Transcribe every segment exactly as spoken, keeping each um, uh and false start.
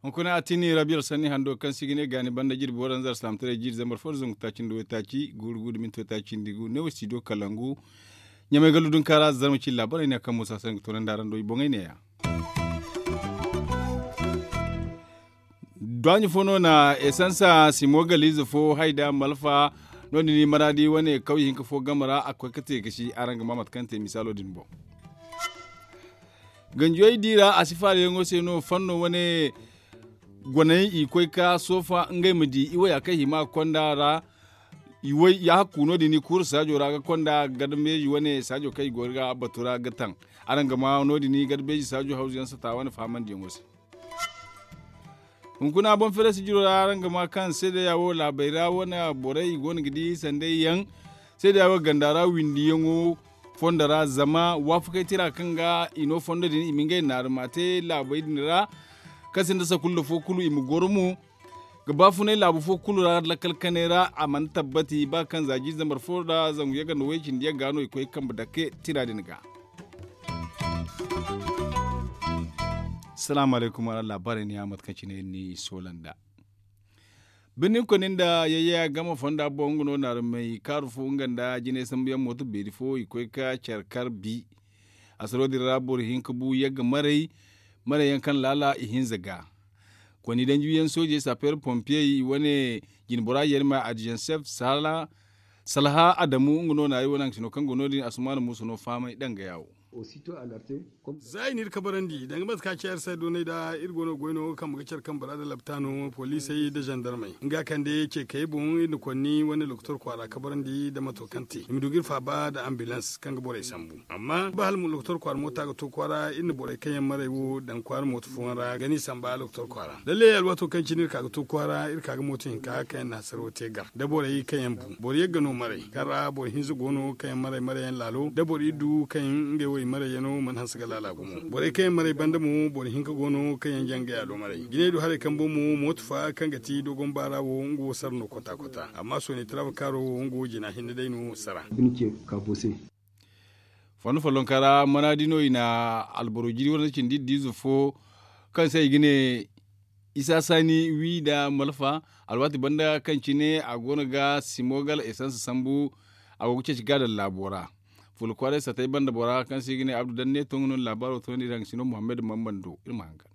Hunkuna a tini rabiya alsanni hando kaŋ se i ga ne gaani banda jirbi waranza alsilaamataray jiiri zambar fo nda zangu taaci nda waytaaci guuru guuru da minti waytaaci nda gu ne wo studio kalangu. Ɲamay gallu dunka ra zarma cine laabaray ne kaŋ muusa se nga toonandi araŋ do i boŋey ne- ya. Duwaaɲi fo no na esansa simo galiize fo hay da malfa. No- din i maraadi wane kawye hinka fo game ra a ga koy ga te ga si araŋ ga ma mate kaŋ te misaalo din boŋ. Ganjiyey di ra a si faalayaŋo se no fanno wane goney i koy ga soofa ngey ma di i waya kaŋ i hima ga konda ra. I way ya hakku no- din i kuuru saajo ra ga konda garda meeji wane saajo kaŋ i go ga batu ra ga taŋ. Araŋ ga ma no- din garda meeji saajo hawzu yaŋ sata wane fahamandiyaŋo se. Hunkuna boŋ feere sijiro ra araŋ ga ma kaŋ seedeya wo laabey ra wane borey i go no ga di sanday yaŋ. Seedeya wo ganda ra windiyaŋo fondo ra zama waafakey tira kaŋ ga i no fondo din i ma ngey naarima te laabey din ra. Kaŋ sinda sakulla fo kulu i ma goro mo ga baafunay laabu fo kulu ra lakkal kanay ra a mana tabbati ba kaŋ za jiiri zambar fo nda zangu yagga nda way- cindi yagga no i koy kambe dake tira din ga. Salaamu alaykum araŋ laabaarey ni ya mate kaŋ cine iri ni soola nd'a. Birni koni nda yayya game fonda boŋ nga no naarumey kaaru fo nga nda jinay sambu yaŋ mooto beeri fo i koy ga care kar bi. Asaro din ra boro hinka bu yagga maray maray yaŋ kaŋ laala i hinza ga. Koni danji yaŋ soojey sapeer pompiyey i wane jinbora yarima adizaŋ sef salha adamu nga no naari wane haŋ sino kaŋ go no- din asumaana muusa no fahamay danga ya wo. Za i n'iri kabarandi danga mate kaŋ a ci iri se doonay da iri go no ga goy no ga kambe ga care kambe ra nda laptaano poliisey nda zandarmey nga kande ceekey boŋ iri na konni wane lokotor kwaara kabarandi nda mato kaŋ te i ma du ga iri faaba nda ambilans kaŋ ga borey sambu. Amma ba hala mo lokotor kwaara moota ga to kwaara iri na borey kaŋ yaŋ maray wo daŋ kwaara mooto fooyaŋ ra ga n'i samba lokotor kwaara lallay alwaato kaŋ cine iri ka ga to kwaara iri ka ga mooto hinka kaŋ yaŋ na hasaro te gar da borey kaŋ yaŋ bu boro yagga no maray kaŋ ra boro hinza go no kaŋ yaŋ maray maray yaŋ laalo da boro iddu kaŋ yaŋ ngey wo i maray yaŋo mana hanse ga laala gumo borey kaŋ yaŋ maray banda mo boro hinka go no kaŋ yaŋ jangay a do maray jinay do haray kaŋ boŋ mo mooto fa kaŋ ga ti dogon baara wo nga wo sara no kota kota amma sooni taraaba kaaro wo nga wo jina hinne day no sara. Fondo follonka ra manaadi no i na alboro jiri wane cindi iddu ize fo kaŋ se i ga ne isa saani wi nda malfa alwaati banda kaŋ cine a go no ga simogal esans sambu. A go ga ceeci ga daŋ laabo ra fuula kwaaray satay banda bora kaŋ se i ga ne abdu danne to nga no na laabaaro toonandi iri haŋ sino muhammad mambando iri ma hangan.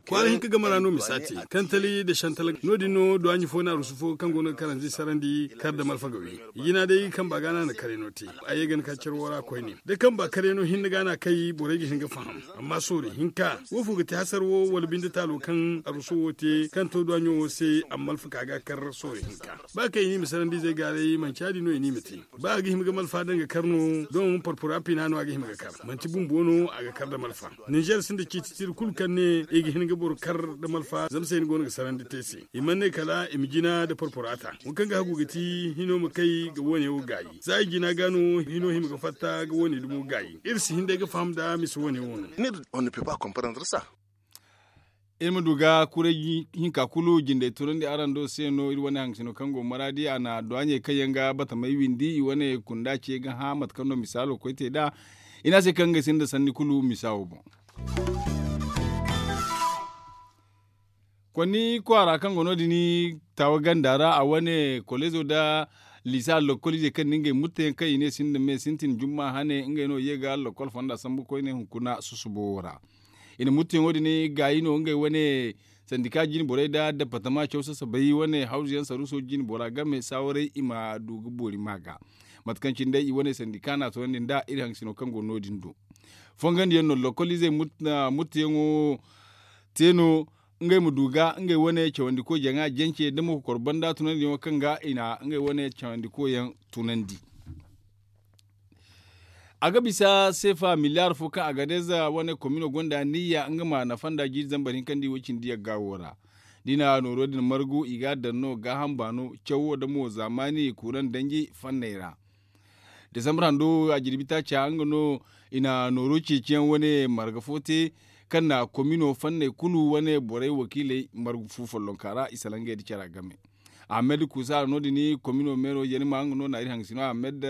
Kwaara hinka game ra no misa te kantali nda shantal no- din no duwaaɲi fo na arusu fo kaŋ go no ga karanzi sarandi kar da malfa ga wi. I jina day kamba ga no a na karay no te. A ye ga ni ka care wo ra koyne da kamba karay no hinne ga no a kay borey ga hin ga faham. Amma soori hinka wo fo ga te hasar wo wala binde taalo kaŋ arusu wo te kaŋ to duwaaɲo wo se a ma malfa ka ga kar soori hinka ba kaŋ i ne i ma sarandi izey gaaray manci ya- din no i ne i ma te. Ba a ga hima ga malfa daŋ ga kar no doŋ porpora pina no a ga hima ga kar manti bumbo no a ga kar nda malfa. Ninzeer sinda ciiti tira kulu kaŋ ne i ga hin ga boro kar nda malfa zama se ni go no ga sarandi te se i mana ne kala i ma jina nda porpora ta. Wo kaŋ ga hagu ga ti hino ma kay ga wo- ne wo gaayi za i jina ga no hino hima ga fatta ga wo- ne dumo gaayi iri si hin day ga faham nda misa wo- ne wo no. Iri ma du ga kuray hinka kulu jindey tunandi araŋ do se no iri wane haŋ sino kaŋ go maraadi a na duwaaɲey kaŋ yaŋ ga batamey windi i wane kunda ce ga hã mate kaŋ no misaalo koy te nd'a. I ne a se kaŋ ngey sinda sanni kulu misa wo boŋ. Konni kwaara kaŋ go no- din taawa ganda ra a wane koleezo nda liisa lokkol izey kaŋ na ngey mutteyaŋ kaŋ i ne sinda me sintin jumma hane ngey no ye ga lokkol fonda sambu koyne hunkuna susubo wo ra. I na mutteyaŋo din gaayi no ngey wane sandika jine borey nda departama caw sasabay wane hawzu yaŋ saruuso jine bora game saawaray i ma du ga boori ma ga. Mate kaŋ cine day i wane sandika na a toonandi nda iri haŋ sino kaŋ go no- din do. Fongandiyaŋ no lokkol izey mutteyaŋo te no ngey ma du ga ngey wane cawandiko jaŋa jance da mo kokoro banda tunandiyaŋo kaŋ ga i na ngey wane cawandiko yaŋ tunandi. A ga bisa seefa miliyaar fo kaŋ agadez wane komino gonda niyya nga ma nafa nda jiiri zambar hinka nda i way cindi yagga wo ra. Da i na nooro din margu i ga a daŋ no gaaham baano cawo da mo zaamaani kuuraŋ danji fanney ra. Desambar hando a jirbi taaca nga no i na nooro ceeciyaŋ wane marga fo te kaŋ na komino fanney kulu wane borey wakiiley margu fu follonka ra i salaŋ ngey nda cara game. Ahmed kusa no- din komino meero yeri ma nga no na iri hangasino ahmed.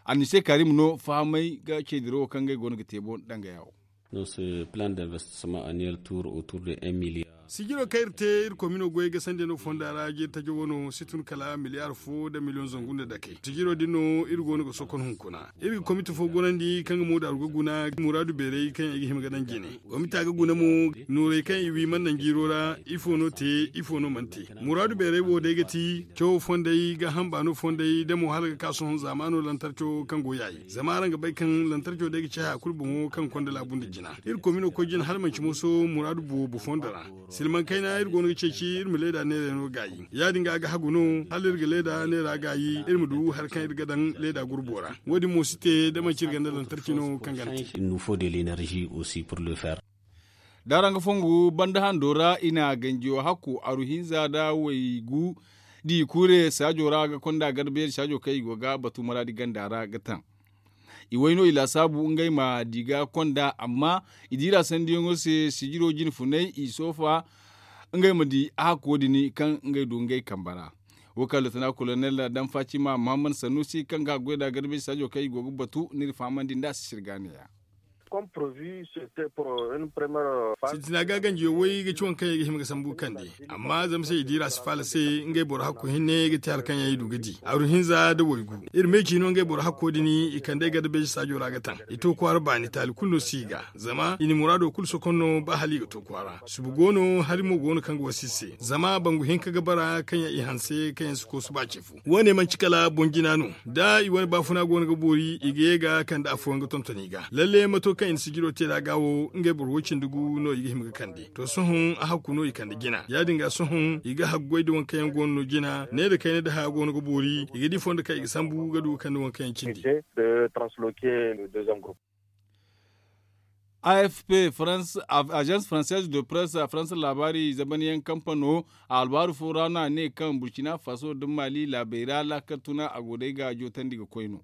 Annise karim no fahamay ga ce dirawo kaŋ ngey go no ga te boŋ danga yawo. Sijiro kaŋ iri te iri komino goyey ga sanda no fonda ra jiri tajo wano si tun kala miliyar fo nda miliyoŋ zangu nda dakey sijiro din no iri go no ga sokon hunkuna. Iri ga komite fo gorandi kaŋ ga moodaru ga guna muraadu beeray kaŋ i ga hima ga daŋ jine. Komita ga guna mo noorey kaŋ i wi mana naŋ jiiro ra ifo no te ifo no mana te. Muraadu beeray wo day ga ti cawo fondey ga hamba no fondey da mo hala ga ka sohõ zaamaano lantarco kaŋ go yaayi zama araŋ ga bay kaŋ lantarco day ga ci haya kulu boŋo kaŋ konda laabu nda jina. Iri komino koy jina hala manci moso muraadu boobo fondo ra. Silmaŋ kayna iri go no ga ceeci iri ma leeda neerey no gaayi ya- din ga a ga hagu no hala iri ga leeda neera gaayi iri ma du hari kaŋ iri ga daŋ leeda gurbo ra. Wo- din mo si te da manci iri ganda lantarci no kaŋ gana te. D'araŋ ga fongu banda hando ra i na ganjiyo hakku aru hinza nda waygu di kuure saajo ra ga konda garbeeri saajo kaŋ i go ga batu maraadi ganda ra ga taŋ. I way no i laasaabu ngey ma di ga konda amma i diira sandiyaŋo se sijiro jine funay i soofa ngey ma di hakko din kaŋ ngey du ngey kambe ra. Wo kaŋ lotona kolonel danfacima muhammad sanusi kaŋ ga goy nda garbeeri saajo kaŋ i go ga batu n'iri fahamandi nd'a si sirga neeya. Sintina ga ganjiyo way ga ci waŋ kaŋ i ga hima ga sambu kande amma zama se i diira si faala se ngey boro hakko hinne ga te hala kaŋ yaŋ i du ga di aru hinza nda waygu. Iri me ciino ngey boro hakko din i kande garbeeri saajo ra ga taŋ i to kwaara baani taali kulu no si i ga zama i na muraado kulu sokonno ba hala i ga to kwaara subu go no hari mo go no kaŋ ga wasa i se zama bangu hinka ga bara kaŋ yaŋ i hanse kaŋ yaŋ si koosu ba ce fo. Wo- ne manci kala boŋ jina no da i wane baafuna go no ga boori i ga ye ga kande afooyaŋ ga tonton i ga lalle mato kaŋ i na sijiro te nd'a ga wo ngey boro wo- cindi gu no i ga hima ga kande to sohõ a hakku no i kande jina ya- din ga sohõ i ga haggoy nda waŋ kaŋ yaŋ go no no jina ne nda kayna nda haya go no ga boori i ga di fondo kaŋ i ga sambu ga du ga kande waŋ kaŋ yaŋ cindi. A f p agence française de presse faransa laabaari zabanyaŋ kampano a albaaru fo ra no a ne kaŋ burkina faso nda mali laabey ra laakal tuna a go day ga jootandi ga koy no.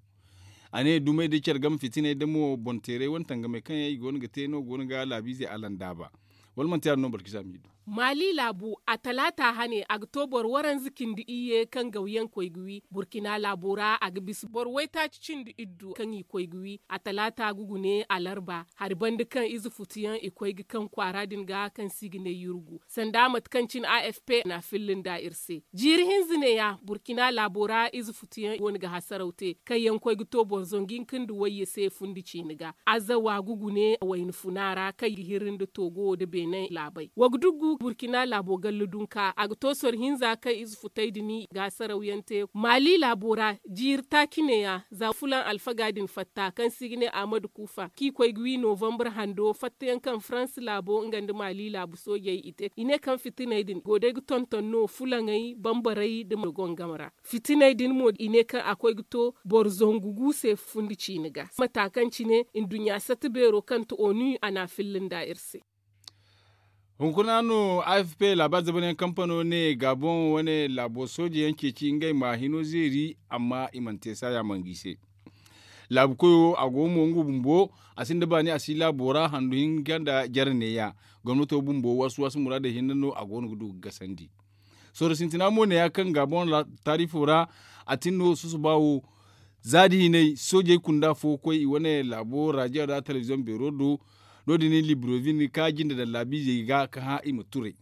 A ne dumey da care game fitiney da mo boŋ teeray wane tangamey kaŋ yaŋ i go no ga te no go no ga laabiizey alandaaba. Wala manti ya- din no boro ga si a ma i du. Maali laabu a talaata hane a ga to boro waranza cindi iyye kaŋ gawyaŋ koy ga wi burkina laabo ra a ga bisa boro waytaaci cindi iddu kaŋ i koy ga wi a talaata ga gune alarba hari banda kaŋ ize futuyaŋ i koy ga kaŋ kwaara din ga kaŋ se i ga ne yurgu sanda mate kaŋ cine a f p na filla nda iri se. Jiiri hinza neeya burkina laabo ra ize futuyaŋ wane ga hasaraw te kaŋ yaŋ koy ga to boro zangu hinka nda wayye se fundi ciine ga azawa ga gune wayna funa ra kaŋ i ga hiri nda toogo nda beene laabey wa ga duggu burkina laabo galla dunka a ga to soro hinza kaŋ ize futey din ga hasaraw yaŋ te maali laabo ra. Jiiri taaci neeya za fulaŋ alfaga din fatta kaŋ se i ga ne ahmadu kuufa kaŋ i koy ga wi novambar hando fattayaŋ kaŋ faransa laabo nga nda maali laabu soojey i te i ne kaŋ fitiney din go day ga tonton no fulaŋey bambarey nda mo gongam ra. Fitiney din mo i ne kaŋ a koy ga to boro zangu gu se fundi ciine ga mata kaŋ cine nduɲɲa sata beero kaŋ ti onu a na a filla nda iri se. Hunkuna no a f p laabaari zabanyaŋ kampano ne gabon wane laabo soojeyaŋ ceeci ngey ma hino zeeri amma i mana te saaya manga i se. Laabu koyo a go mo nga bumbo a sinda baani a si laabo ra handu hinka nda jare neeya. Gomnato bumbo wasu wasu muraadey hinne no a go no ga du ga gasandi. Sooro sintina mo neeya kaŋ gabon taarifo ra a tin no susuba wo. Za da hinay soojey kunda fo koy i wane laabo rajiyo ra telebiziyoŋ beero do. No- din librovin ka jinde daŋ laabiizey ga ka hã i ma turay.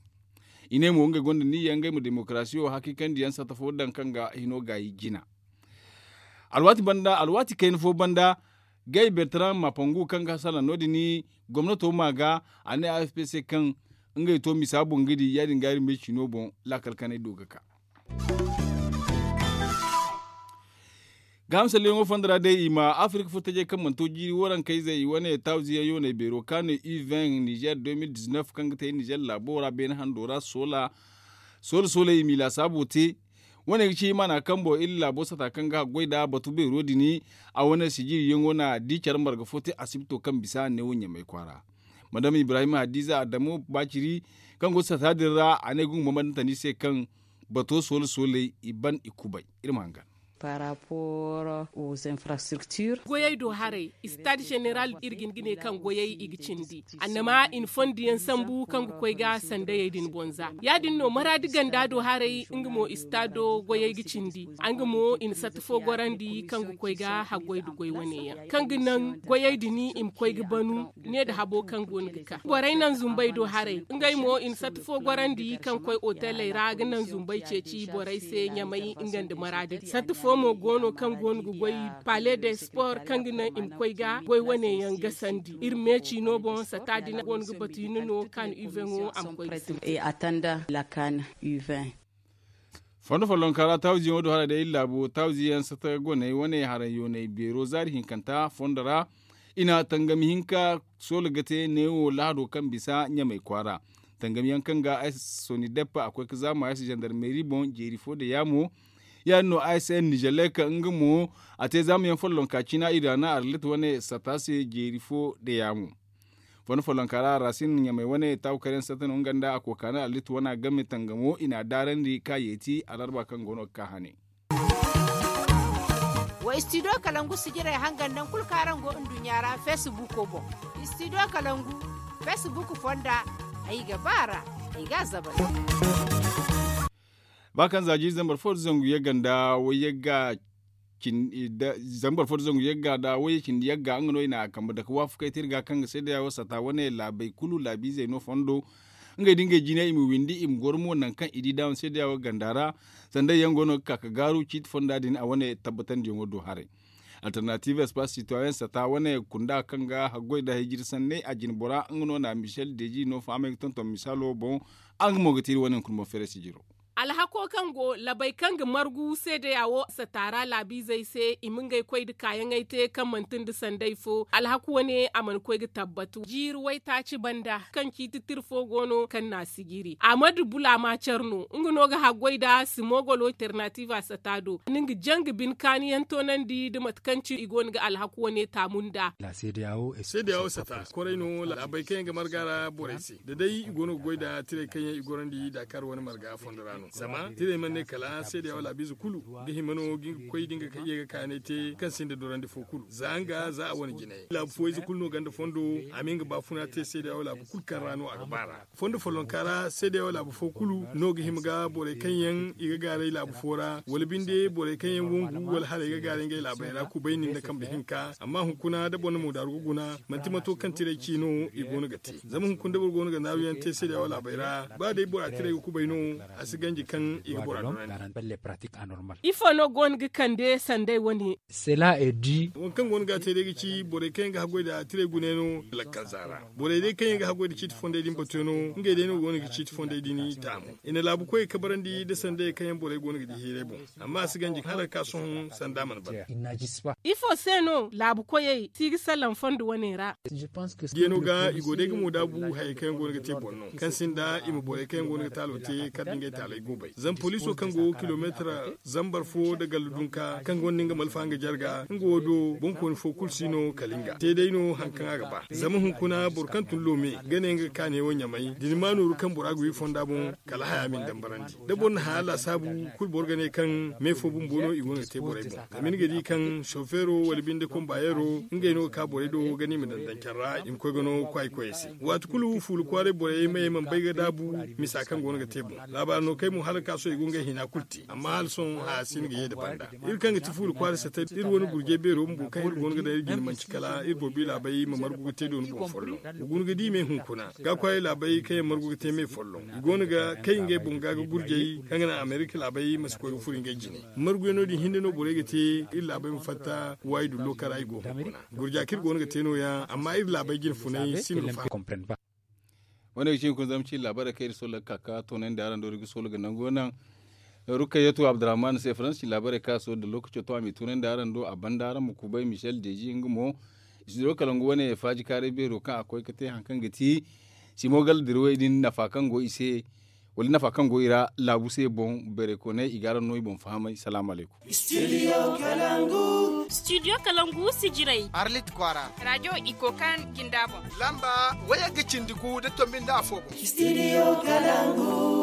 I ne mo ngey gonda niyya ngey ma demokarasiyo hakiikandiyaŋ satta fo daŋ kaŋ ga hino gaayi jina. Alwaati kayna fo banda gay bertrand mapangu kaŋ ga salaŋ no- din gomnato ma ga a ne a f p se kaŋ ngey to misa boŋ ga di ya- din ga iri me ciino boŋ. Laakal kanay do ga ka. Gaaham salleyaŋo fondo ra day i ma afirka furtajey kaŋ mana to jiiri waranka izey i wane tawziyaŋ yooney beero kaŋ a ne u vingt nizer deux mille dix-neuf kaŋ ga te nizer laabo ra beene hando ra soola soola i m'i laasaabo te. Wane ga ci i mana kambo iri laabo sata kaŋ ga haggoy nd'a batu beero din. A wane sijiriyaŋo na di care marga fo te asibito kaŋ bisa neewo ɲamay kwaara. Madam ibrahim hadiza adamu baaciri kaŋ go sata din ra a ne ga humbambandante ni se kaŋ bato soole sooley i ban i kubay. Iri ma hangan. Par rapport aux infrastructures. Goyey do haray, stade général iri ga hin ga ne kaŋ goyey i ga cindi. Annama i na fondi yaŋ sambu kaŋ ga koy ga sandayey din bonza. Ya- din no maraadi ganda do haray nga mo stado goyey ga cindi. Nga mo i na satta fo gorandi kaŋ ga koy ga haggoy da goy wane yaŋ kaŋ ga naŋ goyey din i ma koy ga banu. Ne nda habo kaŋ go no ga ka borey naŋ zumbey do haray, ngey mo i na satta fo gorandi kaŋ koy oteley ra ga naŋ zumbey ceeci borey se ɲamay nga nda maraadi din satta fo mo go no kaŋ go no ga goy. Pale de sport kaŋ ga naŋ i ma koy ga goy wane yaŋ gasandi iri meeci no boŋ satta din go no ga batu hinne no kaŋ uveŋo a ma koy ga sintin. Fondo follonka ra tawzi yaŋo do haray day iri laabo tawzi yaŋ sata goney wane haray yooney beero zaari hinkanta fondo ra. I na tangami hinka soola ga te neewo lahado kaŋ bisa ɲamay kwaara. Tangami yaŋ kaŋ ga ay si soni deppa a koy ga zaama ay si zandarmeeri boŋ jeeri fo da yaamo. Ya- din no ay si ay nizelek nga mo a te zaama yaŋ follonka cina iri a na arlit wane sata se jeeri fo da yaamo. Fondo follonka ra rasin ɲamay wane taawu kar yaŋ sata no nga nda a kookaana arlit wane a game tangamo i n'a daarandi ka yeeti alarba kaŋ go no ga ka hane. Wa studio kalangu sijirey hangan naŋ kulu kaŋ araŋ go nduɲɲa ra facebook boŋ. Studio kalangu facebook fonda ay ga ba ra ay ga a zabal. Ba kaŋ za jiiri zambar fo da zangu yagga nda wayyagga zambar fo da zangu yagga nda wayye cindi yagga nga no i na a kambe dake waafakey te iri ga kaŋ ga seedeya wo sata wane laabey kulu laabiizey no fondo. Ngey da ngey jine i ma windi i ma goro mo nangu kaŋ i di daawo seedeya wo ganda ra. Sanday yaŋ go no ga ka ga gaaru ciiti fonda din a wane tabbatandiyaŋo do haray. Alternative espace citoyen sata wane kunda kaŋ ga haggoy nda hijiri sanney a jine bora nga no na michel deji no fahamay ga tonton misaalo boŋ. Araŋ ga mo ga te iri wane hunkuna boŋ feeray sijiro. Alhako kaŋ go labey kaŋ ga margu seedeya wo sata ra laabiizey se i ma ngey koy nda kaayaŋey te kaŋ manti nda sanday fo alhako wane a mana koy ga tabbatu jiiri waytaaci banda kaŋ ciiti tira fo go no kaŋ na a sijiri. Ahmadu bula ma care no nga no ga haggoy nda simogolo alternatiiva sata do ni nga jaŋ ga bine kaani yaŋ toonandi nda mate kaŋ ci i go no ga alhaku wane taamu nda. Seedeya wo sata koray no laabey kaŋ yaŋ ga marga ra borey se da day i go no ga goy nda tirey kaŋ yaŋ i gorandi dakar wane marga fondo ra no zama tirey mana ne kala seedeya wo laabiize kulu ga hima no ga nga ga koy da nga ye ga kaanay te kaŋ sinda dorandi fo kulu za nga za a wane jinay laabu fooyayze kulu no ganda fondo a ma nga baafuna te seedeya wo laabu kulu kaŋ ra no a ga ba ra. Fondo follonka ra seedeya wo laabu fo kulu no ga hima ga borey kaŋ yaŋ i ga gaaray laabu fo ra wala binde borey kaŋ yaŋ wangu wala hala i ga gaaray ngey laabey ra kubay nin da kambe hinka amma hunkuna da boro na moodaaru ga guna manti mato kaŋ tirey ci no i go no ga te. Zama hunkuna da boro go no ga naaru yaŋ te seedeya wo laabey ra ba day bora tirey ga kubay no a si ganji kaŋ i ga bora dorandi. Ifo no go no ga kande sanday wane? Waŋ kaŋ go no ga a te day ga ci borey kaŋ yaŋ ga haggoy nda tirey gune no lakkalza ra. Borey day kaŋ yaŋ ga haggoy nda ciiti fonday din batuyaŋo ngey day no go no ga ciiti fonday din taamu. I na laabu koyey kabarandi nda sanday kaŋ yaŋ borey go no ga di hiiray boŋ. Amma a si ganji hala ga ka sohõ sanda mana ban. Ifo se no laabu koyey si ga salaŋ fondo wane ra? Diyano ga i go day ga moodaabu hayey kaŋ yaŋ go no ga te boro no kaŋ sinda i ma borey kaŋ yaŋ go no ga taalo te kala da ngey taaley go bay zama poliiso kaŋ go kilomeetar zambar fo nda gallu dunka kaŋ gonda nga malfa nga jarga nga wo do boŋkooni fo kulu si no kala nga te day no hari kaŋ a ga ba zama hunkuna boro kaŋ tun loome ga ne nga ga kaanay wo ɲamay da ni ma nooru kaŋ bora ga wi fonda boŋ kala haya ma ni dambarandi. Da boro na haya laasaabu kulu boro ga ne kaŋ me fo bumbo no i go no ga te borey boŋ zama ni ga di kaŋ sofeero wala binde kombayeero ngey no ga ka borey do ga ne i ma daŋ daŋ care ra i ma koy ga no kwaay koyey se. Waati kulu fuula kwaaray borey mayey mana bay ga daabu misa kaŋ go no ga te boŋ. Laabaari no kay mo hala ga ka sohõ i go ngey hina kulu te amma hala sohõ haya si no ga ye nda banda. Iri kaŋ ga ti fuula kwaaray satay iri wane gurjay beero bumbo kaŋ iri go no ga daŋ iri jine manci kala iri boro bi laabey ma margu ga te dooni boŋ folloŋ. Wa guna ga di me hunkuna ga kwaaray laabey kaŋ yaŋ margu ga te me folloŋ i go no ga kay ngey boŋ ga ga gurjay kaŋ ga naŋ amerika laabey ma si koy ga furo ngey jine. Marguyaŋo din hinne no borey ga te iri laabey ma fatta waayi dullo kara i go hunkuna. Gurja kaŋ iri go no ga te no- ya amma iri laabey jine funay si no ga fahamay. Wane ga ci hunkuna zama ci laabaarey kaŋ iri sohõ ga ka ga toonandi araŋ do iri ga sohõ ga nango naŋ. Rukkayatu abdurrahman se faransi laabaarey kaŋ a sohõ da lookaco to a m'i tunandi araŋ do a banda araŋ ma kubay michel deji nga mo. Studio kalangu wane faaji kaaray beero kaŋ a koy ga te hari kaŋ ga ti simo gala dirwey din nafa kaŋ go i se. Wala nafa kaŋ go i ra laabu se boŋ beeray kooney i ga araŋ no i boŋ fahamay salaamu alaykum. Studio kalangu. Studio kalangu sijirey arlit kwaara. Rajo ikokan jinda boŋ lamba wayagga cindi gu da tombi nda afo boŋ. Studio kalangu.